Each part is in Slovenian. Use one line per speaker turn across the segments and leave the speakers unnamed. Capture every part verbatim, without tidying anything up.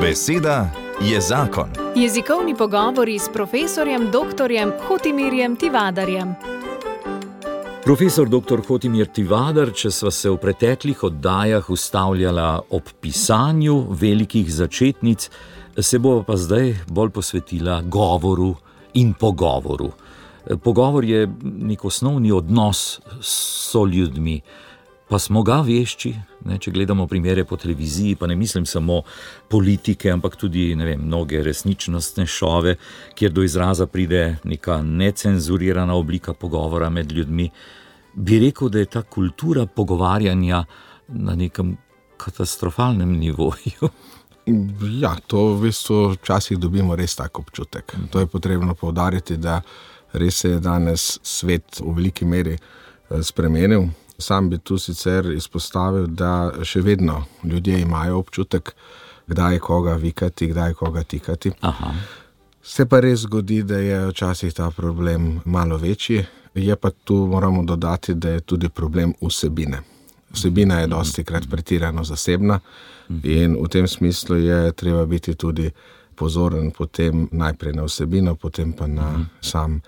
Beseda je zakon.
Jezikovni pogovori s profesorjem doktorjem Hotimirjem Tivadarjem.
Profesor doktor Hotimir Tivadar, če sva se v preteklih oddajah ustavljala ob pisanju velikih začetnic, se bova pa zdaj bolj posvetila govoru in pogovoru. Pogovor je nek osnovni odnos s soljudmi, pa smo ga vešči, ne, če gledamo primere po televiziji, pa ne mislim samo politike, ampak tudi, ne vem, mnoge resničnostne šove, kjer do izraza pride neka necenzurirana oblika pogovora med ljudmi. Bi rekel, da je ta kultura pogovarjanja na nekem katastrofalnem nivoju.
Ja, to v bistvu včasih dobimo res tak občutek. To je potrebno poudariti, da res se je danes svet v veliki meri spremenil. Sam bi tu sicer izpostavil, da še vedno ljudje imajo občutek, kdaj koga vikati, kdaj koga tikati.
Aha.
Se pa res zgodi, da je včasih ta problem malo večji, je pa tu moramo dodati, da je tudi problem vsebine. Vsebina je dostikrat pretirano zasebna in v tem smislu je treba biti tudi pozoren potem najprej na vsebino, potem pa na sam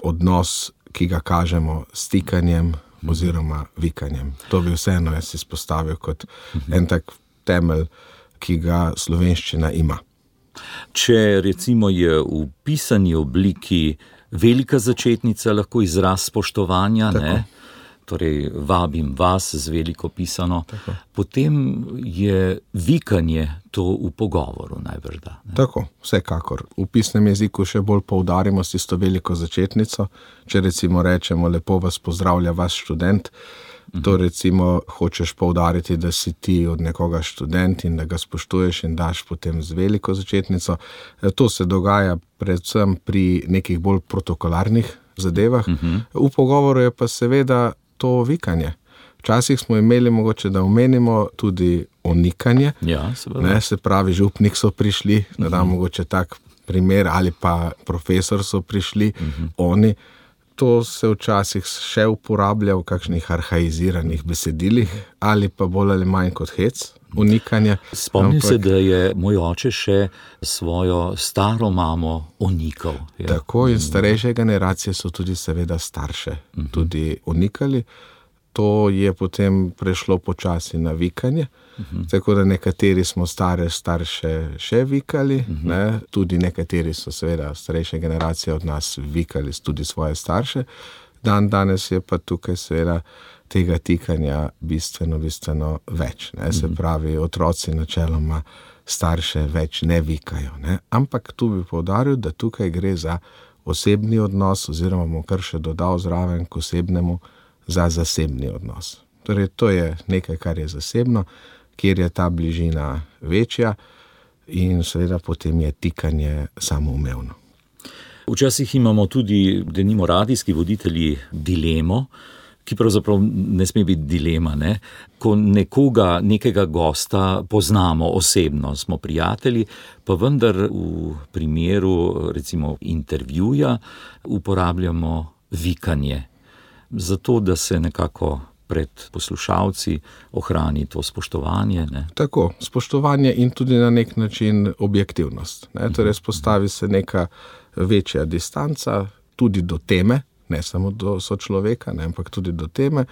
odnos, ki ga kažemo s tikanjem oziroma vikanjem. To bi vseeno jaz izpostavil kot en tak temelj, ki ga slovenščina ima.
Če recimo je v pisani obliki velika začetnica lahko izraz spoštovanja, ne? Torej vabim vas z veliko pisano, tako. Potem je vikanje to v pogovoru najbrda. Ne?
Tako, vsekakor. V pisnem jeziku še bolj poudarimo s tisto veliko začetnico. Če recimo rečemo, lepo vas pozdravlja vaš študent, to recimo hočeš poudariti, da si ti od nekoga študent in da ga spoštuješ in daš potem z veliko začetnico. To se dogaja predvsem pri nekih bolj protokolarnih zadevah. V pogovoru je pa seveda to vikanje. Včasih smo imeli mogoče, da omenimo tudi onikanje.
Ja,
ne, se pravi, župnik so prišli, da dam mogoče tak primer, ali pa profesor so prišli, oni. To se včasih še uporablja v kakšnih arhaiziranih besedilih, ali pa bolj ali manj kot hec, onikanje.
Spomnim Ampak... se, da je moj oče še svojo staro mamo onikal. Ja.
Tako in starejše generacije so tudi seveda starše uh-huh. tudi onikali. To je potem prešlo počasi na vikanje, uh-huh. tako da nekateri smo stare starše še vikali, uh-huh. ne? Tudi nekateri so seveda starejše generacije od nas vikali tudi svoje starše. Dan danes je pa tukaj seveda tega tikanja bistveno, bistveno več. Ne? Se pravi, otroci načeloma starše več ne vikajo. Ne? Ampak tu bi poudaril, da tukaj gre za osebni odnos, oziroma bom kar še dodal zraven k osebnemu, za zasebni odnos. Torej, to je nekaj, kar je zasebno, kjer je ta bližina večja in seveda potem je tikanje samoumevno.
Včasih imamo tudi, denimo radijski voditelji, dilemo, ki pravzaprav ne sme biti dilema, ne? Ko nekoga, nekega gosta poznamo osebno, smo prijatelji, pa vendar v primeru recimo intervjuja uporabljamo vikanje. Zato, da se nekako pred poslušalci ohrani to spoštovanje. Ne?
Tako, spoštovanje in tudi na nek način objektivnost. Ne? Torej, spostavi se neka večja distanca tudi do teme, ne samo do sočloveka, ne, ampak tudi do teme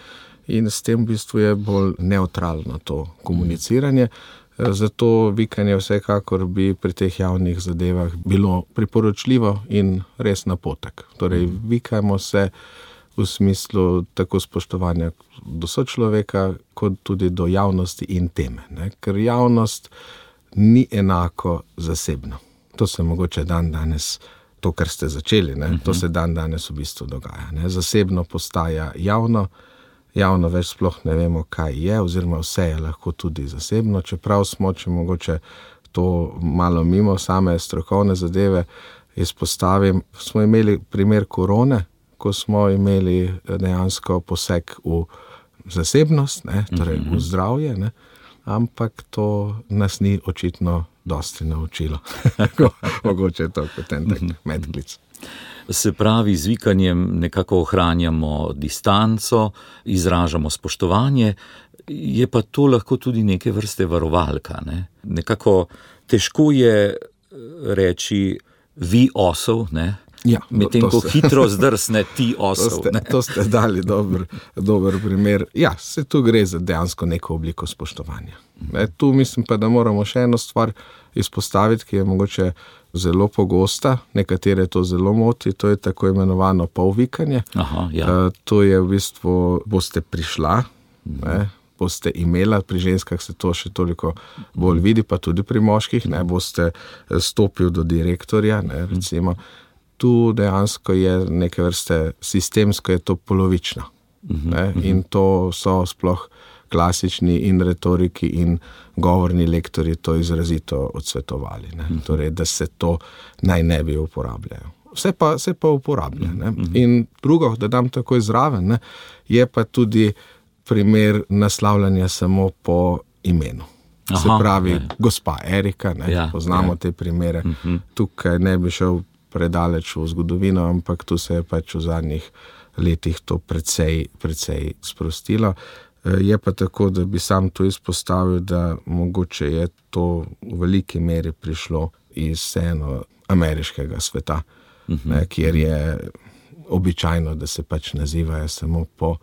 in s tem v bistvu je bolj neutralno to komuniciranje. Zato vikanje vsekakor bi pri teh javnih zadevah bilo priporočljivo in res napotek. Torej, vikajmo se v smislu tako spoštovanja do sočloveka, kot tudi do javnosti in teme. Ne? Ker javnost ni enako zasebno. To se mogoče dan danes, to, kar ste začeli, ne? To se dan danes v bistvu dogaja. Ne? Zasebno postaja javno, javno več sploh ne vemo, kaj je, oziroma vse je lahko tudi zasebno, čeprav smo, če mogoče to malo mimo same strokovne zadeve izpostavim, smo imeli primer korone, ko smo imeli dejansko poseg v zasebnost, ne, torej v zdravje, ne, ampak to nas ni očitno dosti naučilo. Mogoče je to kot en tak medklic.
Se pravi, z vikanjem nekako ohranjamo distanco, izražamo spoštovanje, je pa to lahko tudi neke vrste varovalka, ne? Nekako težko je reči vi osel, ne?
Ja,
medtem ko
ste,
hitro zdrsne ti osel.
To ste, to ste dali dober, dober primer. Ja, se tu gre za dejansko neko obliko spoštovanja. Ne, tu mislim pa, da moramo še eno stvar izpostaviti, ki je mogoče zelo pogosta, nekatere to zelo moti, to je tako imenovano polvikanje.
Aha, ja.
uh, to je v bistvu, boste prišla, ne, boste imela, pri ženskah se to še toliko bolj vidi, pa tudi pri moških, ne, boste stopil do direktorja, ne, recimo. Tu dejansko je neke vrste sistemsko, je to polovično. Ne? In to so sploh klasični in retoriki in govorni lektori to izrazito odsvetovali. Ne? Torej, da se to naj ne bi uporabljajo. Vse pa, vse pa uporablja. Ne? In drugo, da dam takoj zraven, ne? Je pa tudi primer naslavljanja samo po imenu. Aha, se pravi, je. Gospa Erika, ne? Ja, poznamo ja. Te primere. Uh-huh. Tukaj ne bi šel predaleč v zgodovino, ampak tu se je pač v zadnjih letih to precej, precej sprostilo. Je pa tako, da bi sam to izpostavil, da mogoče je to v veliki meri prišlo iz eno ameriškega sveta, uh-huh. ne, kjer je običajno, da se pač nazivajo samo po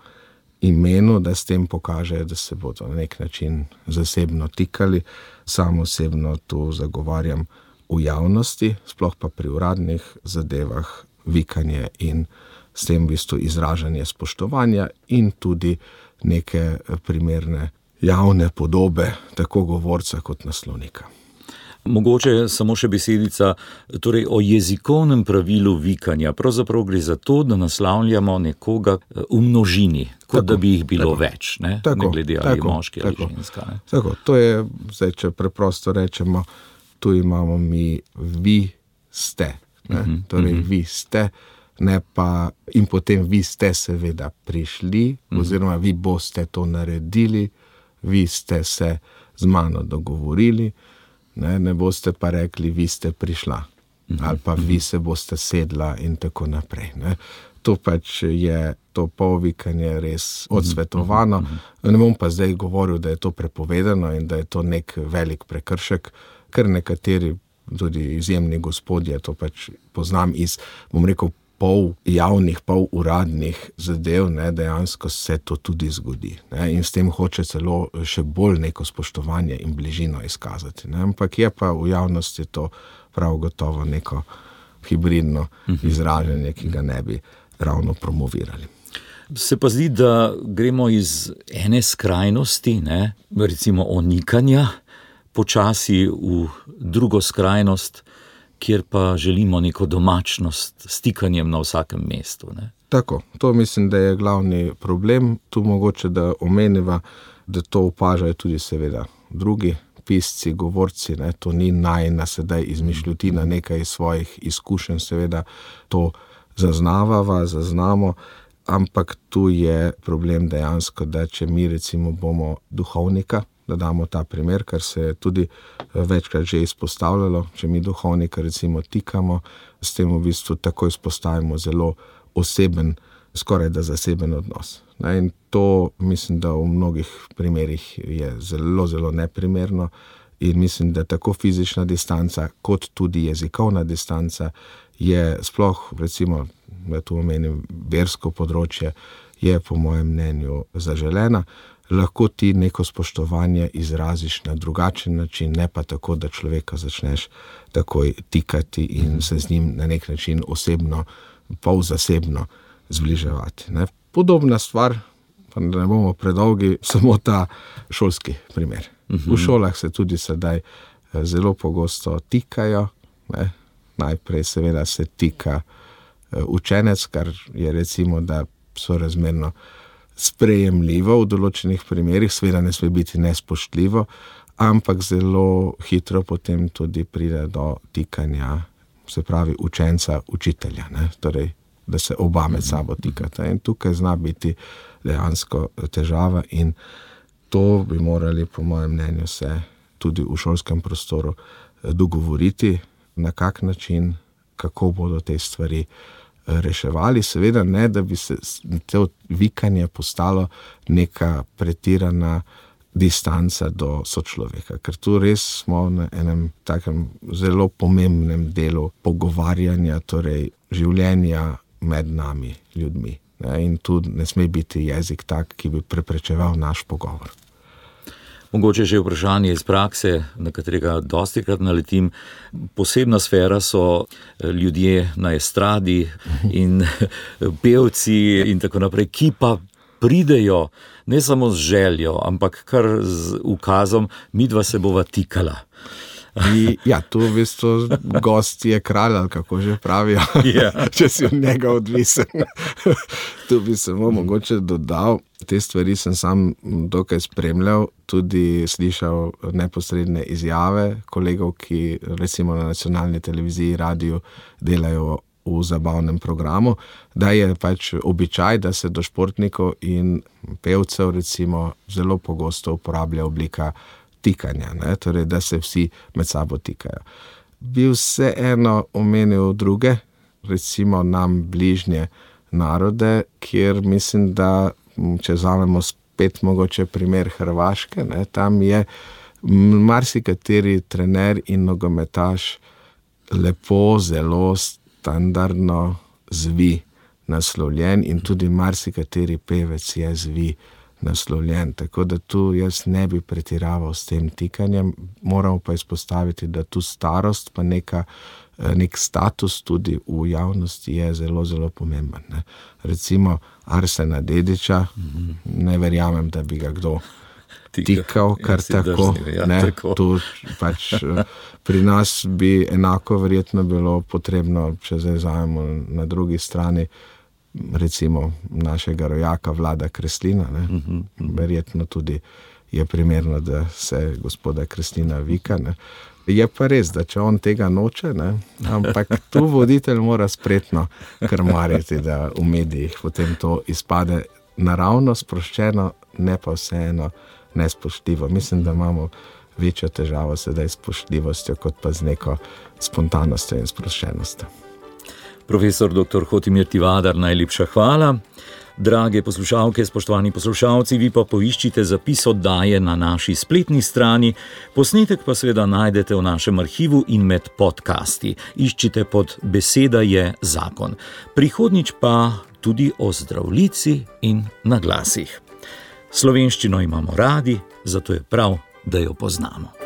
imenu, da s tem pokažejo, da se bodo na nek način zasebno tikali. Sam osebno tu zagovarjam v javnosti, sploh pa pri uradnih zadevah, vikanje in s tem v bistvu izražanje spoštovanja in tudi neke primerne javne podobe, tako govorca kot naslovnika.
Mogoče samo še besedica, torej o jezikovnem pravilu vikanja. Pravzaprav gre za to, da naslavljamo nekoga v množini, kot tako, da bi jih bilo tako, več, ne, tako, ne glede ali tako, moški ali tako, ženska. Ne?
Tako, to je, zdaj, če preprosto rečemo, tu imamo mi vi ste, ne? Uh-huh, torej uh-huh. vi ste, ne pa in potem vi ste seveda prišli, uh-huh. oziroma vi boste to naredili, vi ste se z mano dogovorili, ne, ne boste pa rekli, vi ste prišla, uh-huh. ali pa vi se boste sedla in tako naprej. Ne? To pač je to polvikanje res odsvetovano. Uh-huh. Ne bom pa zdaj govoril, da je to prepovedano in da je to nek velik prekršek, ker nekateri, tudi izjemni gospodje, to pač poznam iz, bom rekel, pol javnih, pol uradnih zadev, ne, dejansko se to tudi zgodi. Ne, in s tem hoče celo še bolj neko spoštovanje in bližino izkazati. Ne, ampak je pa v javnosti to prav gotovo neko hibridno izražanje, ki ga ne bi ravno promovirali.
Se pa zdi, da gremo iz ene skrajnosti, ne, recimo onikanja, počasi v drugo skrajnost, kjer pa želimo neko domačnost s stikanjem na vsakem mestu. Ne?
Tako, to mislim, da je glavni problem. Tu mogoče, da omeniva, da to opažajo tudi seveda drugi pisci, govorci, ne? To ni najina sedaj izmišljotina, nekaj iz svojih izkušenj, seveda to zaznavava, zaznamo, ampak tu je problem dejansko, da če mi recimo bomo duhovnika, da damo ta primer, kar se je tudi večkrat že izpostavljalo, če mi duhovnika recimo tikamo, s tem v bistvu tako izpostavimo zelo oseben, skoraj da zaseben odnos. In to mislim, da v mnogih primerih je zelo, zelo neprimerno in mislim, da tako fizična distanca, kot tudi jezikovna distanca je sploh, recimo, da tu omenim versko področje, je po mojem mnenju zaželena. Lahko ti neko spoštovanje izraziš na drugačen način, ne pa tako, da človeka začneš takoj tikati in se z njim na nek način osebno, pol zasebno zbliževati. Ne? Podobna stvar, pa da ne bomo predolgi, samo ta šolski primer. V šolah se tudi sedaj zelo pogosto tikajo, ne? Najprej seveda se tika učenec, kar je recimo, da sorazmerno sprejemljivo v določenih primerih, seveda ne sme biti nespoštljivo, ampak zelo hitro potem tudi pride do tikanja, se pravi učenca, učitelja, ne? Torej, da se oba med sabo tikata. In tukaj zna biti dejansko težava in to bi morali, po mojem mnenju, se tudi v šolskem prostoru dogovoriti, na kak način, kako bodo te stvari reševali, seveda ne, da bi se to vikanje postalo neka pretirana distanca do sočloveka, ker tu res smo na enem takem zelo pomembnem delu pogovarjanja, torej življenja med nami, ljudmi. Ne? In tu ne sme biti jezik tak, ki bi preprečeval naš pogovor.
Mogoče že vprašanje iz prakse, na katerega dostikrat naletim. Posebna sfera so ljudje na estradi in pevci in tako naprej, ki pa pridejo ne samo z željo, ampak kar z ukazom, midva se bova tikala.
I, ja, tu v bistvu gost je kralj, ali kako že pravijo,
Yeah.
če si od njega odvisen. Tu bi samo mogoče dodal, te stvari sem sam dokaj spremljal, tudi slišal neposredne izjave kolegov, ki recimo na nacionalni televiziji, radiju delajo v zabavnem programu, da je pač običaj, da se do športnikov in pevcev recimo zelo pogosto uporablja oblika tikanja, ne? Torej, da se vsi med sabo tikajo. Bi vseeno omenil druge, recimo nam bližnje narode, kjer mislim, da če vzamemo spet mogoče primer Hrvaške, ne? Tam je marsikateri trener in nogometaš lepo, zelo standardno zvi naslovljen in tudi marsikateri pevec je zvi naslovljen. Tako da tu jaz ne bi pretiraval s tem tikanjem, moramo pa izpostaviti, da tu starost pa neka, nek status tudi v javnosti je zelo, zelo pomemben. Ne. Recimo Arsena Dedića, mm-hmm. ne verjamem, da bi ga kdo tikal, kar ja, tako, drzni, ja, ne, tako. Tu pač pri nas bi enako verjetno bilo potrebno, če zdaj vzamemo na drugi strani, recimo našega rojaka Vlada Kreslina, ne? Mm-hmm. Verjetno tudi je primerno, da se gospoda Kreslina vika. Ne? Je pa res, da če on tega noče, ne? Ampak tu voditelj mora spretno krmariti, da v medijih potem to izpade naravno, sproščeno, ne pa vseeno nespoštljivo. Mislim, da imamo večjo težavo sedaj s spoštljivostjo, kot pa z neko spontanostjo in sproščenostjo.
Profesor doktor Hotimir Tivadar, najlepša hvala. Drage poslušalke, spoštovani poslušalci, vi pa poiščite zapis oddaje na naši spletni strani, posnetek pa seveda najdete v našem arhivu in med podcasti. Iščite pod Beseda je zakon. Prihodnjič pa tudi o zdravljici in naglasih. Slovenščino imamo radi, zato je prav, da jo poznamo.